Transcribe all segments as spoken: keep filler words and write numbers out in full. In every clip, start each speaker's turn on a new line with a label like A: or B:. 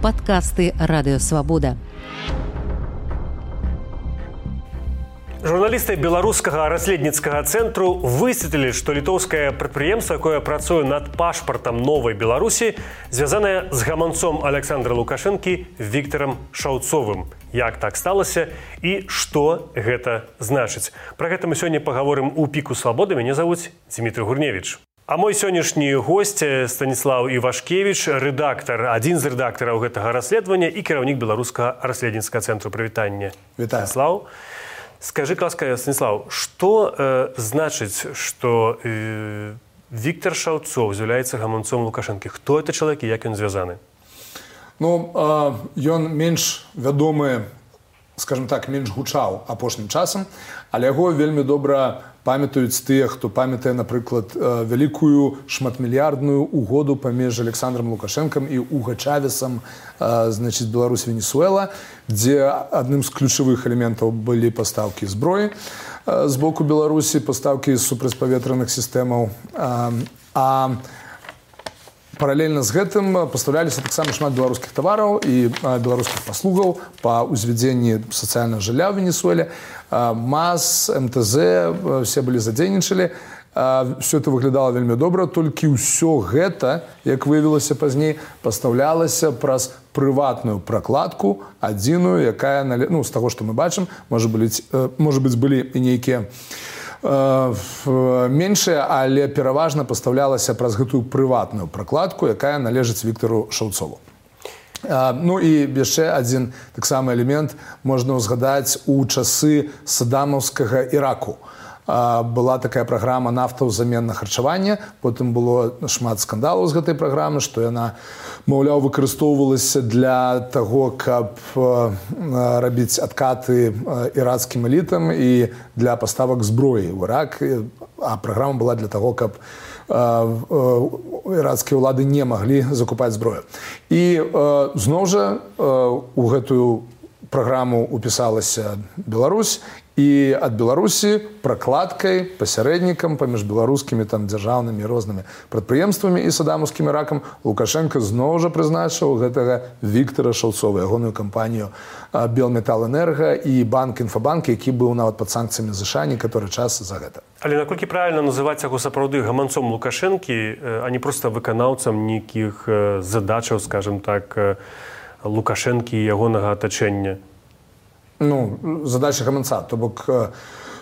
A: Падкасты Радыё Свабода.
B: Журналісты беларускага расследніцкага цэнтру высветлілі, што літоўскае прадпрыемства, якое працуе над пашпартам новай Беларусі, звязанае з гаманцом Александра Лукашэнкі Віктарам Шаўцовым. Як так сталася і што гэта значыць? Пра гэта мы сёння пагаворым у піку свабоды. Мяне завуць Дмітрий Гурневіч. А мой сённяшні госць Станіслаў Івашкевіч, рэдактар, адзін з рэдактараў гэтага расследавання і кіраўнік беларускага расследніцкага цэнтру. Прывітанне.
C: Вітаю.
B: Станіслаў. Скажи, ласка, Станіслав, што э, значыць, што э, Віктар Шаўцоў з'яўляецца гаманцом Лукашэнкі? Хто это чалавек і як ён звязаны?
C: Ну, э, ён менш вядомы, скажем так, менш гучаў апошнім часам, але яго вельмі добра памятаюць тыя, хто памятае, напрыклад, вялікую шматмільярдную угоду паміж Александром Лукашэнкам і Уго Чавесам, значыць, Беларусь-Венесуэла, дзе адным з ключавых элементаў былі пастаўкі зброі з боку Беларусі, пастаўкі супрацьпаветраных сістэмаў. А паралельна з гэтым пастаўляліся таксама шмат беларускіх тавараў і беларускіх паслугаў па ўзвядзенні сацыяльнага жылля ў Венесуэле. МАЗ, МТЗ, все былі задзейнічалі. Все это выглядала вельмі добра, толькі ўсё гэта, як выявілася пазней, пастаўлялася праз прыватную пракладку, адзіную, якая, ну, з таго, што мы бачым, можа быць, можа быць, былі і нейкія меншая, але пераважна пастаўлялася праз гэтую прыватную пракладку, якая належыць Віктару Шаўцову. Ну і яшчэ адзін таксама элемент можна ўзгадаць у часы саддамаўскага Іраку. Была такая праграма нафта ўзамен на харчаванне, потым было шмат скандалаў з гэтай праграмы, што яна, маўляў, выкарыстоўвалася для таго, каб рабіць адкаты ірацкім элітам і для паставак зброі ў Ірак, а праграма была для таго, каб ірацкія ўлады не маглі закупаць зброю. І зноў жа у гэтую праграму упісалася Беларусь, і ад Беларусі пракладкай, пасярэднікам паміж беларускімі там дзяржаўнымі рознымі прадпрыемствамі і саддамаўскім Іракам Лукашэнка зноў жа прызначыў гэтага Віктара Шаўцова, ягоную кампанію Белметалэнерга і банк Інфабанк, які быў нават пад санкцыямі ЗША некаторы час за гэта.
B: Але наколькі правільна называць яго сапраўды гаманцом Лукашэнкі, а не проста выканаўцам нейкіх задачаў, скажем так, Лукашэнкі і ягонага атачэння?
C: Ну, задача гаманца, то бок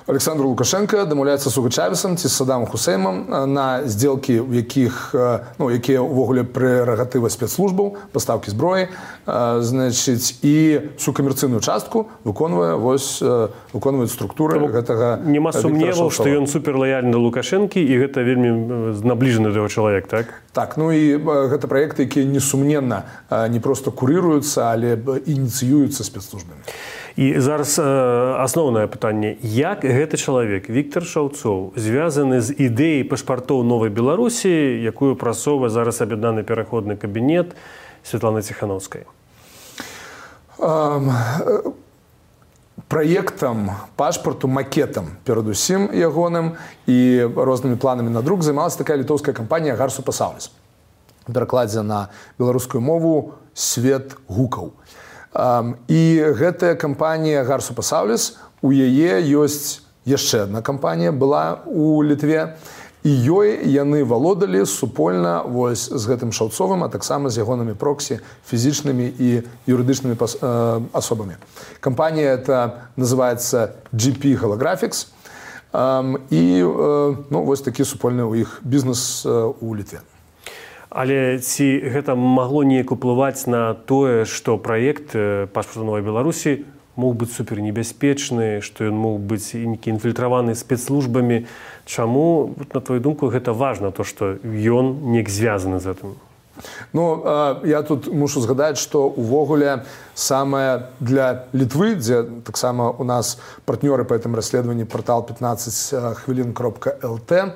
C: Александр Лукашенко дамаўляецца з Уго Чавесам ці з Саддамом Хусейнам на здзелкі, у якіх, ну, якія ўвогуле прэрагатыва спецслужбаў, пастаўкі зброі, значыць, і всю камерцыйную частку выконвае, вось, выконваюць структуры гэтага Віктара Шаўцова.
B: Нема сумневаў, што ён суперлаяльны да Лукашэнкі і гэта вельмі набліжаны да яго чалавек, так?
C: Так, ну і гэта праекты, якія несумненна не проста курыруюцца, але ініцыююцца спецслужбамі.
B: І зараз э, асноўнае пытанне. Як гэты чалавек, Віктар Шаўцоў, звязаны з ідэяй пашпартоў новай Беларусі, якую прасоўвае зараз аб'яднаны пераходны кабінет Святланы Ціханаўскай?
C: Um, праектам пашпарту, макетам, перадусім ягоным і рознымі планамі на друк займалася такая літоўская кампанія Гарсупасаўліс. У перакладзе на беларускую мову «Свет гукаў». Um, і гэтая кампанія Гарсупасаўліс, у яе ёсць яшчэ адна кампанія, была у Літве, і ёй яны валодалі супольна вось з гэтым Шаўцовым, а таксама з ягонымі проксі, фізічнымі і юрыдычнымі пас, э, асобамі. Кампанія эта называецца джі пі Holographics, um, і э, ну, вось такі супольны ў іх бізнес э, у Літве.
B: Але ці гэта магло неяк уплываць на тое, што праект пашпарту новай Беларусі мог быць супернебяспечны, што ён мог быць інфільтраваны спецслужбамі? Чаму, на твою думку, гэта важна, то, што ён неяк звязаны з гэтым?
C: Ну, я тут мушу згадаць, што увогуле самае для Літвы, дзе таксама у нас партнёры па гэтым расследаванні партал пятнадцать хвілін кропка эл тэ,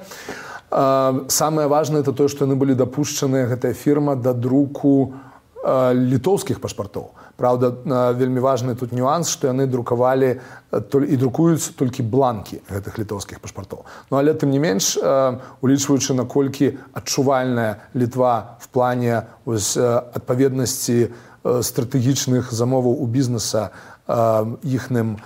C: самае важнае это тое, што яны былі дапушчаны, гэтая фірма, да друку літоўскіх пашпартоў. Праўда, вельмі важны тут нюанс, што яны друкавалі і друкуюць толькі бланкі гэтых літоўскіх пашпартоў. Ну, але тым не менш, улічваючы, наколькі адчувальная Літва в плане ось, адпаведнасці стратэгічных замоваў у бізнеса іхным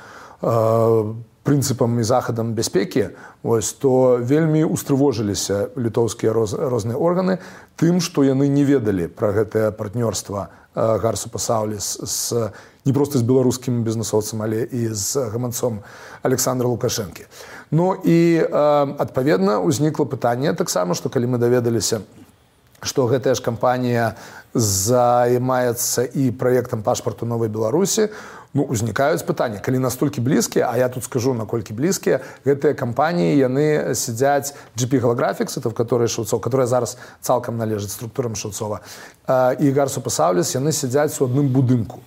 C: прынцыпам і захадам бяспекі, ось, то вельмі устрывожыліся літоўскія роз, розныя органы тым, што яны не ведалі пра гэтае партнёрства Гарсу Пасаўліс з, не проста з беларускім бізнесоўцам, але і з гаманцом Александра Лукашэнкі. Ну і, адпаведна, узнікла пытанне таксама, што калі мы даведаліся, што гэтая ж кампанія займаецца і праектам пашпарту Новай Беларусі, ну, узнікаюць пытанні. Калі настолькі блізкія, а я тут скажу, наколькі блізкія, гэтыя кампаніі, яны сядзяць джі пі Holographics, это в которой Шаўцов, которая зараз цалкам належыць структурам Шаўцова, і Гарсу Пасаўліс, яны сядзяць у адным будынку.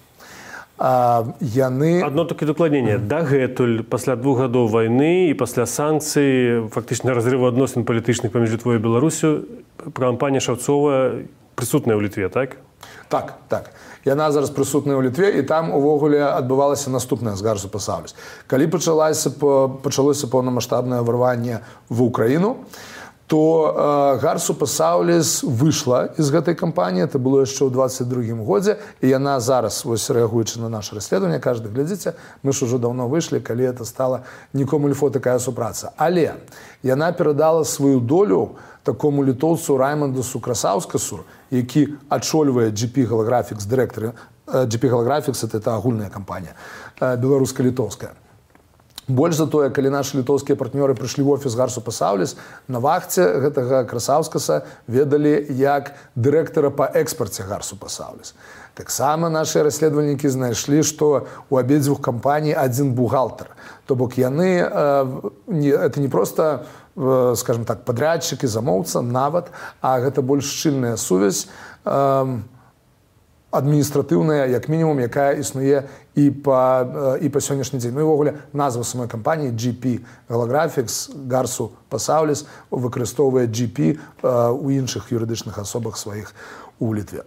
C: Яны...
B: Одно такі дакладненне. Mm. Дагэтуль, пасля двух гадоў вайны і пасля санкцый, фактычна разрыву адносін палітычных паміж Літвой і Беларусю, кампанія Шаўцова прысутная ў Літве, так?
C: Так, так. Яна зараз прысутная ў Літве, і там увогуле адбывалася наступнае з Гарсу Пасаўліс. Калі пачалося, пачалося паўнамаштабнае ўварванне в Украіну, то э, Гарсу Пасаўліс выйшла з гэтай кампаніі, это было яшчэ ў двадцать другім годзе, і яна зараз, вось рэагуючы на наше расследаванне, кажа, глядзіце, мы ж ужо даўно выйшлі, калі это стала нікому льфо такая супраца. Але яна перадала сваю долю такому літоўцу Раймондасу Красаўскасу, які ачольвае джі пі Holographics, дырэктар джі пі Holographics, это агульная кампанія, беларуска-літоўская. Больш за тое, калі нашы літоўскія партнёры прыйшлі ў офіс Гарсу Пасаўліс, на вахце гэтага Красаўскаса ведалі як дырэктара па экспарце Гарсу Пасаўліс. Таксама нашы расследавальнікі знайшлі, што у абедзвюх кампаній адзін бухгалтар. То бок яны, это не проста, скажем так, падрядчык і замоўца нават, а гэта больш шчыльная сувязь, адміністратыўная, як мінімум, якая існуе і па, і па сённяшні дзень. Ну і ўвогуле назва самой кампаніі джі пі Holographics, Гарсу Пасаўліс выкарыстоўвае джі пі у іншых юрыдычных асобах сваіх у Літве.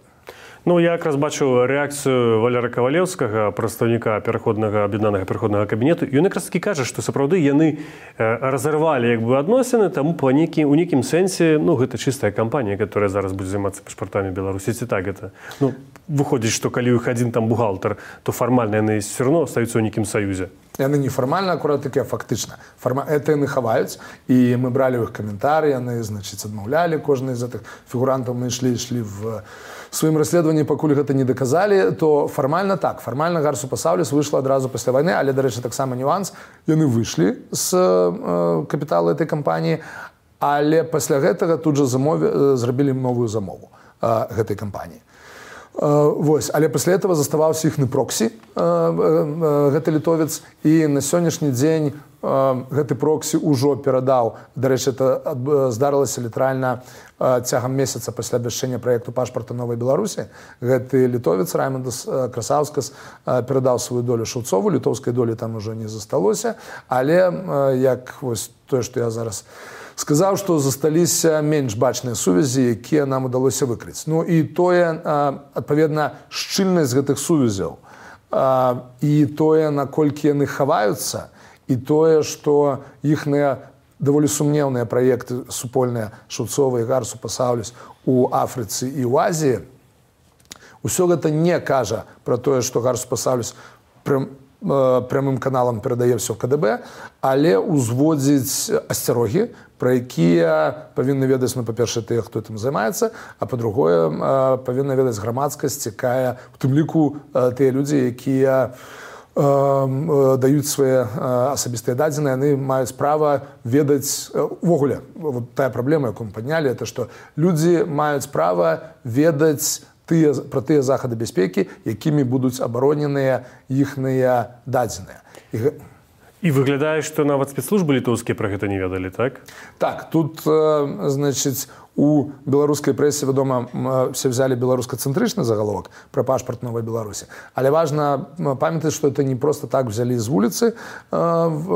B: Ну, я якраз бачыў рэакцыю Валера Кавалеўскага, прадстаўніка пераходнага аб'яднанага пераходнага кабінету. Ён якраз такі кажа, што сапраўды яны разарвалі як бы адносіны, таму па нейкі, у нейкім сэнсе, ну, гэта чыстая кампанія, которая зараз будзе займацца пашпартамі Беларусі. Ці так гэта? Ну, выходзіць, што калі ў іх адзін там бухгалтар, то фармальна яны все равно остаюцца ў нейкім саюзе.
C: Яны не фармальна, акурат такі, а фактычна. Фарма... Это яны хаваюць, і мы бралі ў іх каментары, яны, значыць, адмаўлялі кожны з гэтых фігурантаў, мы ішлі, ішлі в сваім расследаванні, пакуль гэта не даказалі, то фармальна так. Фармальна Гарсу Пасаўліс выйшла адразу пасля вайны, але, дарэчы, таксама нюанс. Яны выйшлі з э, капіталу этой кампаніі, але пасля гэтага тут жа замове, зрабілі новую замову э, гэтай кампаніі. Вось, але пасля этого заставаўся іхны проксі, гэты літовец, і на сённяшні дзень гэты проксі ўжо перадаў, дарэчы, это здарылася літаральна цягам месяца пасля абвяшчэння праекту пашпарта Новай Беларусі. Гэты літовец Раймондас Красаўскас перадаў сваю долю Шаўцову, літоўскай долі там ужо не засталося, але як вось тое, што я зараз сказаў, што засталіся менш бачныя сувязі, якія нам удалося выкрыць. Ну і тое, адпаведна, шчыльнасць гэтых сувязяў, і тое, наколькі яны хаваюцца, і тое, што іхныя даволі сумнеўныя праекты супольныя Шаўцова і Гарсу Пасаўліс у Афрыцы і ў Азіі, усё гэта не кажа пра тое, што Гарсу Пасаўліс прям прямым каналам перадае ўсё ка дэ бэ, але узводзіць асцярогі, пра якія павінны ведаць, ну, па-першае, тыя, хто гэтым займаецца, а па-другое, павінна ведаць грамадскасць, якая, у тым ліку, тыя людзі, якія даюць свае асабістыя дадзеныя, яны маюць права ведаць, увогуле, вот тая праблема, якую мы паднялі, это што людзі маюць права ведаць тыя, пра тыя захады бяспекі, якімі будуць абароненыя іхныя дадзеныя. І,
B: І выглядае, што нават спецслужбы літоўскія пра гэта не ведалі, так?
C: Так, тут, значыць, у беларускай прэсе, вядома, все взяли беларускацэнтрычны загаловак пра пашпарт Новай Беларусі. Але важна памятаць, што это не просто так взялі з вуліцы в,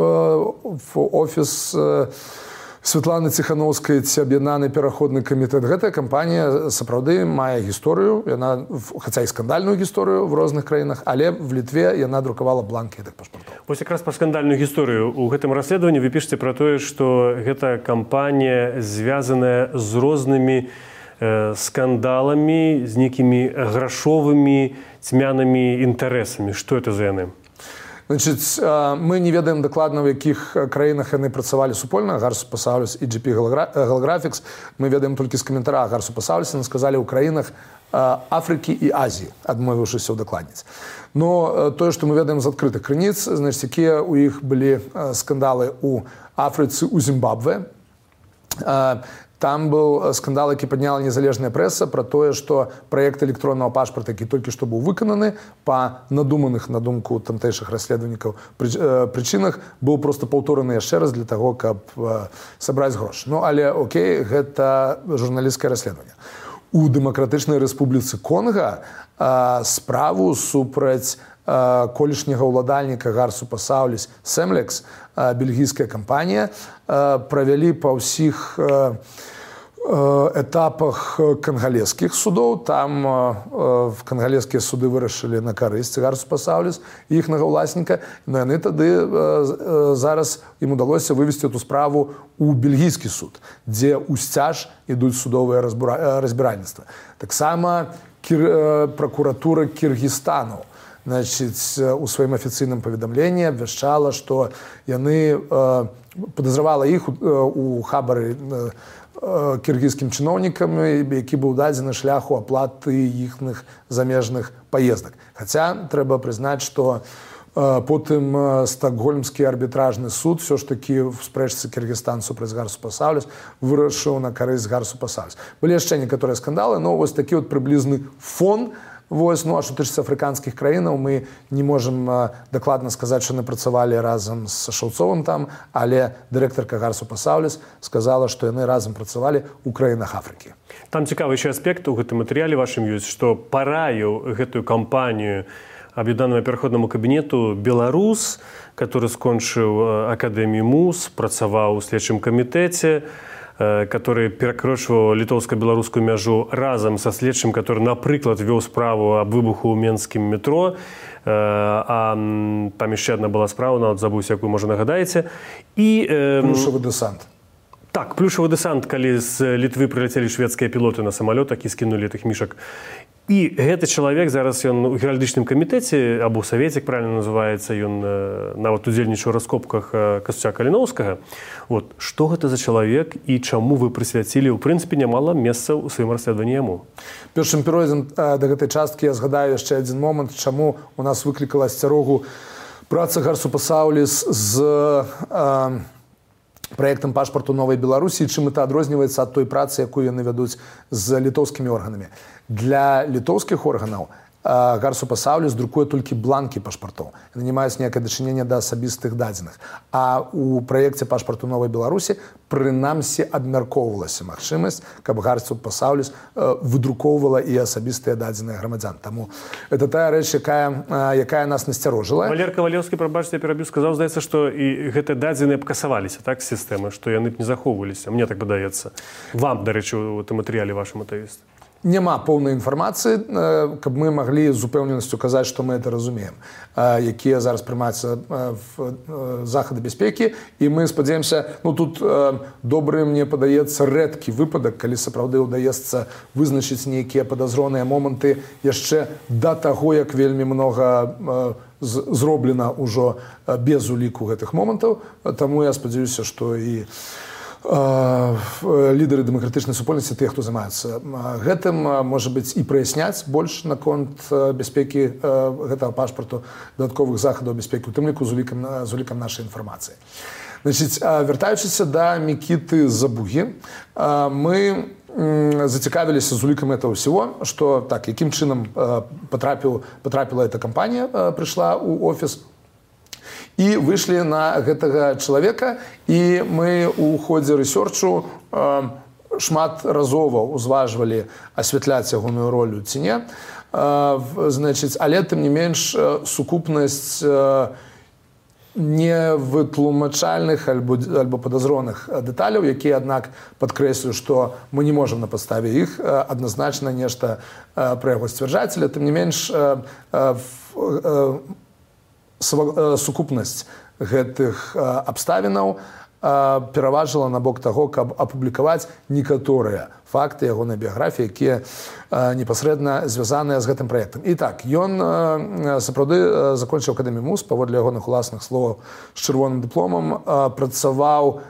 C: в офіс Святланы Ціхановскай ці аб'яднаны пераходны камітэт. Гэтая кампанія сапраўды мае гісторыю, яна, хаця і скандальную гісторыю в розных краінах, але в Літве яна друкавала бланкі гэтых пашпартоў.
B: Вось якраз пра скандальную гісторыю. У гэтым расследаванні вы пішаце пра тое, што гэта кампанія звязаная з рознымі э, скандаламі, з нейкімі грашовымі цьмянымі інтарэсамі. Што это за яны?
C: Значыць, мы не ведаем дакладна, у якіх краінах яны працавалі супольна, Гарсу Пасаўліс і джі пі Голографікс. Мы ведаем толькі з каментара Гарсу Пасаўліса, яны сказалі ў краінах Афрыкі і Азіі, адмовіўшыся ўдакладніць. Но тое, што мы ведаем з адкрытых крыніц, значыць, якія ў іх былі скандалы ў Афрыцы, у Зімбабве. Там быў скандал, які падняла незалежная прэса пра тое, што праект электроннага пашпарта, які толькі што быў выкананы па надуманых, на думку тамтэйшых расследавальнікаў, прычынах, быў проста паўтораны яшчэ раз для таго, каб сабраць грошы. Ну, але окей, гэта журналісцкае расследаванне. У Дэмакратычнай Рэспубліцы Конга справу супраць колішняга ўладальніка Гарсу Пасаўліс Семлекс, бельгійская кампанія, правялі па ўсіх этапах кангалескіх судоў. Там кангалескія суды вырашылі на карысць Гарсу Пасаўліс і іхнага ўласніка. Но яны тады зараз ім удалося вывесці эту справу у бельгійскі суд, дзе ўсцяж ідуць судовыя разбіральніцтва. Таксама пракуратура Кіргізстану, значыць, у сваім афіцыйным паведамленні абвяшчала, што яны падазравала іх у хабары кіргізскім чыноўнікам, які быў дадзены шляху аплаты іхных замежных паездак. Хаця трэба прызнаць, што потым стокгольмскі арбітражны суд все ж такі в спрэчцы Кіргізстан супраць Гарсу Пасаўліс вырашыў на карысць Гарсу Пасаўліс. Былі яшчэ некаторыя скандалы, но вось такі вот прыблізны фон. Вось, ну, а што тычыцца афрыканскіх краінаў, мы не можам дакладна сказаць, што яны працавалі разам з Шаўцовым там, але дырэктарка Гарсу Пасаўліс сказала, што яны разам працавалі ў краінах Афрыкі.
B: Там цікавы яшчэ аспект у гэтым матэрыяле вашым ёсць, што параіў гэтую кампанію аб'яднанаму пераходнаму кабінету беларус, который скончыў акадэмію МУЗ, працаваў у следчым камітэце, который перакрочваў літоўска-беларускую мяжу разам са следчым, который, напрыклад, вёў справу аб выбуху ў менскім метро, а там яшчэ адна была справа, нават забыўся, якую, можа, нагадаеце. І
C: плюшавы дэсант.
B: Так, плюшавы дэсант, калі з Літвы прыляцелі шведскія пілоты на самалётах і скінулі тых мішак. І гэты чалавек зараз ён у геральдычным камітэце або савеце, правильно называецца, ён нават удзельнічаў у раскопках Касця Каліноўскага. Вот што гэта за чалавек і чаму вы прысвяцілі ў прынцыпе нямала месцаў у сваім расследаванні яму?
C: Першым перайдзем да гэтай часткі я згадаю яшчэ адзін момант, чаму у нас выклікала асцярогу праца Гарсу Пасаўліс з э, праектам пашпарту Новай Беларусі, чым это адрозніваецца ад той працы, якую яны вядуць з літоўскімі органамі. Для літоўскіх органаў Гарсу Пасаўліс друкуе толькі бланкі пашпартоў. Яны не маюць ніякае дачынення да асабістых дадзеных. А ў праекце пашпарту Новай Беларусі прынамсі абмяркоўвалася магчымасць, каб Гарсу Пасаўліс выдрукоўвала і асабістыя дадзеныя грамадзян. Таму это тая рэч, якая, якая нас насцярожыла.
B: Валер Кавалеўскі, прабачце, я перабіў, сказаў, здаецца, што і гэтыя дадзеныя б касаваліся, так, з сістэмы, што яны б не захоўваліся. Мне так падаецца. Вам, дарэчы, у тым матэрыяле вашым атаіст.
C: Няма поўнай інфармацыі, каб мы маглі з упэўненасцю казаць, што мы это разумеем, якія зараз прымаюцца захады бяспекі. І мы спадзяемся, ну тут добры, мне падаецца, рэдкі выпадак, калі сапраўды ўдаецца вызначыць нейкія падазроныя моманты яшчэ да таго, як вельмі многа зроблена ўжо без уліку гэтых момантаў. Таму я спадзяюся, што і лідары дэмакратычнай супольнасці, тыя, хто займаюцца гэтым, можа быць, і праясняць больш наконт бяспекі гэтага пашпарту, дадатковых захадаў бяспекі, у тым ліку з улікам, з улікам нашай інфармацыі. Значыць, вяртаючыся да Мікіты Забугі, мы зацікавіліся з улікам этого всего, што так, якім чынам потрапіў, потрапіла эта кампанія, прыйшла ў офіс, і выйшлі на гэтага чалавека, і мы ў ходзе рэсёрчу э, шмат разова ўзважвалі асвятляць ягоную ролю ці не. Э, значыць, але тым не менш сукупнасць э, невытлумачальных альбо, альбо падазроных дэталяў, якія, аднак, падкрэслю, што мы не можам на падставе іх адназначна нешта пра яго сцвярджаць, але тым не менш сукупнасць гэтых абставінаў пераважыла на бок таго, каб апублікаваць некаторыя факты ягонай біяграфіі, якія непасрэдна звязаныя з гэтым праектам. І так, ён сапраўды закончыў акадэмію МУЗ, паводле ягоных уласных словаў, з чырвоным дыпломам, працаваў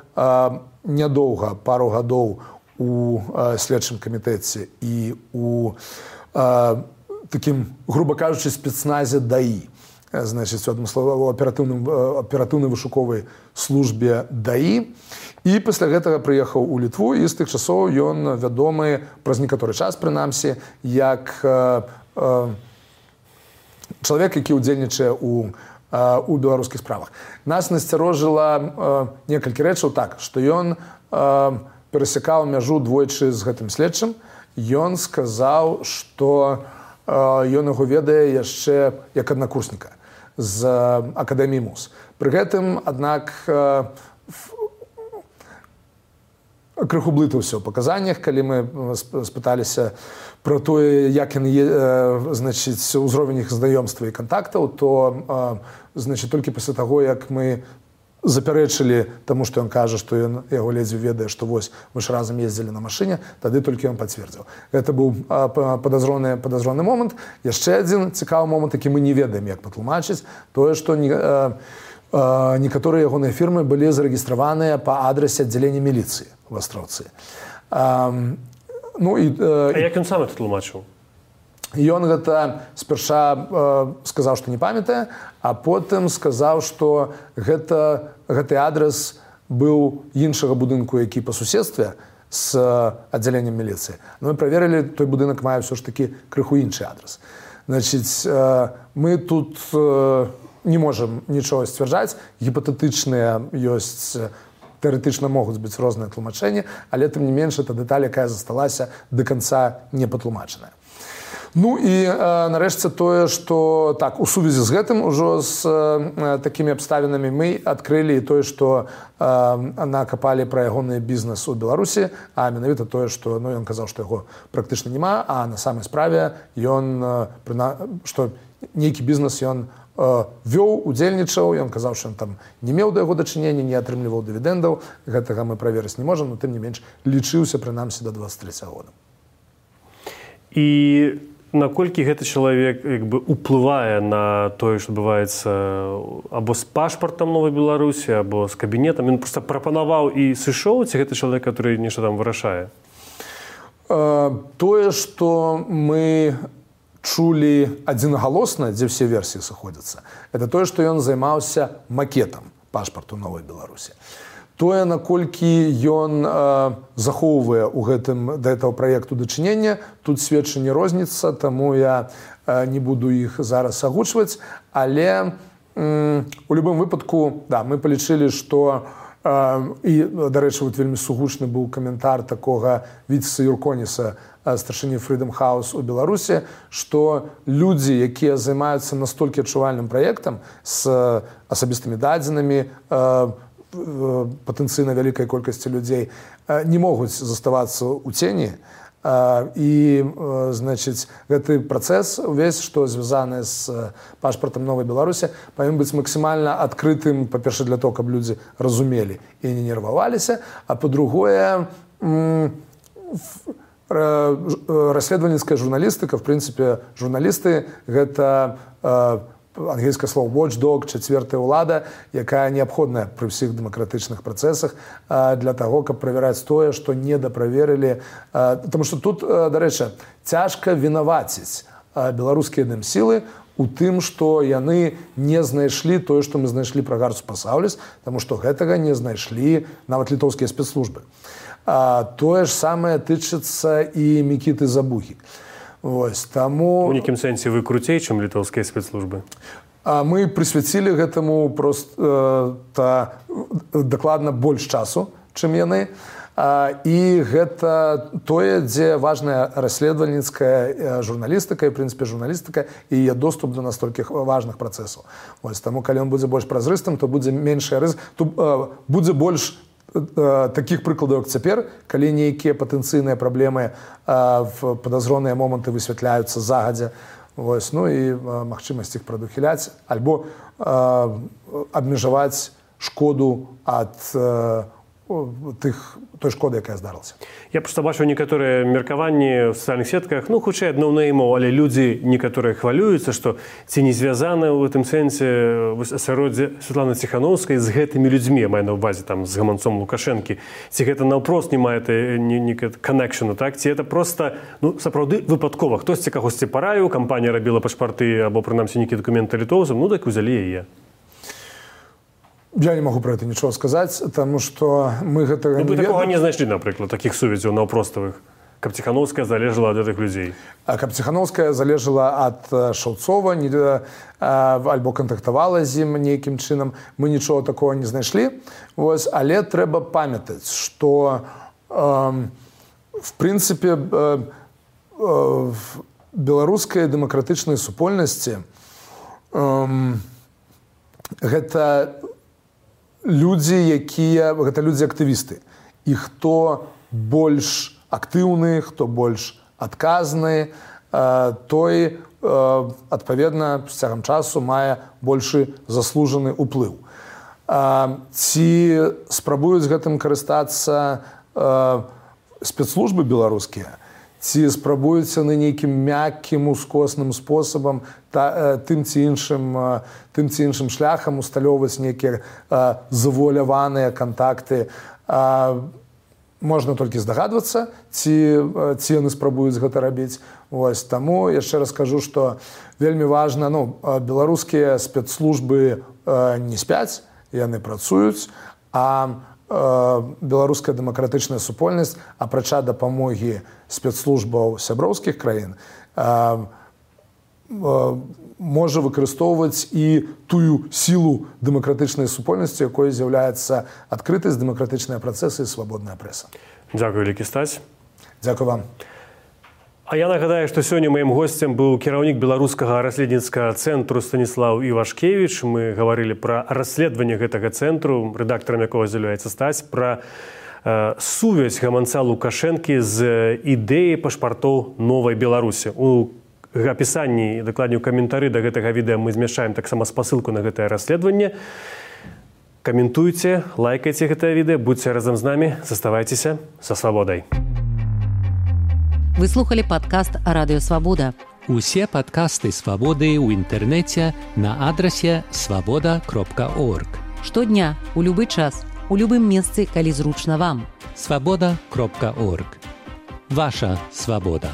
C: нядоўга, пару гадоў у следчым камітэце і у такім, груба кажучы, спецназе ДАІ. Значит, в одном слове, у аператыўнай вышуковай службе ДАІ. І пасля гэтага прыехаў у Літву, і з тых часоў ён вядомы праз некаторы час, прынамсі, як э, э, чалавек, які ўдзельнічае у, э, у беларускіх справах. Нас насцярожыла э, некалькі рэчаў так, што ён э, перасякаў мяжу двойчы з гэтым следчым. Ён сказаў, што э, ён яго ведае яшчэ як аднакурсніка з акадэміі МУЗ. Пры гэтым, аднак, крыху блытаўся ў паказаннях, калі мы спыталіся пра тое, як яны, значыць, узровень іх знаёмства і кантактаў, то, значыць, толькі пасля таго, як мы запярэчылі таму, што ён кажа, што ён яго ледзьве ведае, што вось мы ж разам ездзілі на машыне, тады толькі ён пацвердзіў. Гэта быў падазроны, падазроны момант. Яшчэ адзін цікавы момант, які мы не ведаем, як патлумачыць, тое, што не, э, э, некаторыя ягоныя фірмы былі зарэгістраваныя па адрасе аддзялення міліцыі ў Астраўцы. Э, ну, і, э,
B: а як ён сам это тлумачыў?
C: Ён гэта спярша э, сказаў, што не памятае, а потым сказаў, што гэта, гэты адрес быў іншага будынку, які па суседстве з аддзяленнем міліцыі. Но мы праверылі, той будынак мае ўсё ж такі крыху іншы адрес. Значыць, э, мы тут э, не можам нічога сцвярджаць, гіпатэтычныя ёсць, тэарэтычна могуць быць розныя тлумачэнні, але тым не менш, это дэталь, якая засталася да канца не патлумачаная. Ну і э, нарэшце тое, што так, у сувязі з гэтым ужо з э, такімі абставінамі мы адкрылі тое, што э, накапалі пра ягоны бізнес у Беларусі, а менавіта тое, што ну, ён казаў, што яго практычна няма, а на самай справе ён, э, прына... што нейкі бізнес ён э, вёў, удзельнічаў, ён казаў, што ён там не меў да яго дачынення, не атрымліваў дывідэндаў, гэтага мы праверыць не можам, но тым не менш лічыўся прынамсі да дваццаць трэцяга года.
B: І наколькі гэты чалавек як бы уплывае на тое, што адбываецца або з пашпартам Новай Беларусі, або з кабінетам? Ён проста прапанаваў і сышоў, ці гэта чалавек, который нешта там вырашае?
C: Э, тое, што мы чулі адзінагалосна, дзе ўсе версіі сыходзяцца, это тое, што ён займаўся макетам пашпарту Новай Беларусі. Тое, наколькі ён э, захоўвае ў гэтым да этого праекту дачынення, тут сведчанне розніца, таму я э, не буду іх зараз агучваць, але э, у любым выпадку, да, мы палічылі, што э, і, дарэчы, вот вельмі сугучны быў каментар такога Віцеса Юрконіса, старшыні Freedom House у Беларусі, што людзі, якія займаюцца настолькі адчувальным праектам з асабістымі дадзенымі, э, патэнцыйна вялікай колькасці людзей не могуць заставацца ў цені. І, значыць, гэты працэс увесь, што звязаны з пашпартам Новай Беларусі, павінен быць максімальна адкрытым, па-першае, для того, каб людзі разумелі і не нерваваліся, а па-другое, расследавальніцкая журналістыка, в прынцыпе, журналісты гэта ангельскае слово watchdog, чацвёртая ўлада, якая неабходная пры ўсіх дэмакратычных працэсах для таго, каб правяраць тое, што недаправерылі. Таму што тут, дарэчы, цяжка вінаваціць беларускія дэмсілы у тым, што яны не знайшлі тое, што мы знайшлі пра Гарцу Пасаўліс, таму што гэтага не знайшлі нават літоўскія спецслужбы. Тое ж самае тычыцца і Мікіты Забухі. Вось, таму...
B: У нейкім сэнсе вы круцей, чым літоўскія спецслужбы?
C: Мы прысвяцілі гэтаму проста дакладна больш часу, чым яны. І гэта тое, дзе важная расследавальніцкая журналістыка, і, в прынцыпе, журналістыка і яе доступ до настолькі важных працэсаў. Вось, таму, калі ён будзе больш празрыстым, то будзе меншая рызыка, то будзе больш таких прыкладаў, як цяпер, калі нейкія патэнцыйныя праблемы в падазроныя моманты высвятляюцца загадзя, вось, ну і магчымасць іх прадухіляць, альбо абмежаваць шкоду ад тых, той шкоды, якая здарылася.
B: Я просто бачу некаторыя меркаванні в сацыяльных сетках, ну, хутчэй адно неймоў, але людзі некаторыя хвалююцца, што ці не звязана ў гэтым сэнсе асяроддзе Святланы Ціхановскай з гэтымі людзьмі, маю на ўвазе там з гаманцом Лукашэнкі. Ці гэта наўпрост не мае канекшену, так? Ці гэта проста, ну, сапраўды выпадкова. Хтосьці кагосьці параіў, кампанія рабіла пашпарты або, прынамсі, нейкія дакументы літоўцам, ну, так узялі яе.
C: Я не могу про это ничего сказать, потому что мы гэтага
B: ну,
C: не ведаем.
B: Вы такого не знайшлі, напрыклад, таких сувязяў наўпроставых, каб Ціхановская залежала ад гэтых людзей?
C: А каб Ціхановская залежала ад Шаўцова, не, а, альбо кантактавала з ім нейкім чынам, мы нічого такого не знайшлі. Вось, але трэба памятаць, што э, в прынцыпе э, э, в беларускай дэмакратычнай супольнасці э, гэта людзі, якія, гэта людзі-актывісты. І хто больш актыўны, хто больш адказны, той, адпаведна, з цягам часу мае большы заслужаны ўплыў. Ці спрабуюць гэтым карыстацца спецслужбы беларускія, ці спрабуюцца на нейкім мяккім ускосным спосабам та, тым ці іншым, тым ці іншым шляхам усталёўваць нейкія завуаляваныя кантакты. Можна толькі здагадвацца, ці, ці яны спрабуюць гэта рабіць. Вось, таму яшчэ раз кажу, што вельмі важна, ну, беларускія спецслужбы не спяць, яны працуюць, а беларуская дэмакратычная супольнасць, апрача дапамогі спецслужбаў сяброўскіх краін, можа выкарыстоўваць і тую сілу дэмакратычнай супольнасці, якой з'яўляецца адкрытасць, дэмакратычныя працэсы і свабодная прэса.
B: Дзякуй, вялікі Стась.
C: Дзякуй вам.
B: А я нагадаю, што сёння маім госцем быў кіраўнік беларускага расследніцкага цэнтру Станіслаў Івашкевіч. Мы гаварылі пра расследаванне гэтага цэнтру, рэдактарам якога з'яўляецца Стась, пра э, сувязь гаманца Лукашэнкі з ідэяй пашпартоў новай Беларусі. У апісанні, дакладней у каментары да гэтага відэа мы змяшчаем таксама спасылку на гэтае расследаванне. Каментуйце, лайкайце гэтае відэа, будзьце разам з намі, заставайцеся са свабодай.
A: Вы слухали падкаст «Радыё Свабода».
D: Усе падкасты «Свабоды» ў інтэрнэце на адрасе свабода кропка орг.
A: Штодня, у любы час, у любым месцы, калі зручна вам.
D: свабода кропка орг. Ваша свабода.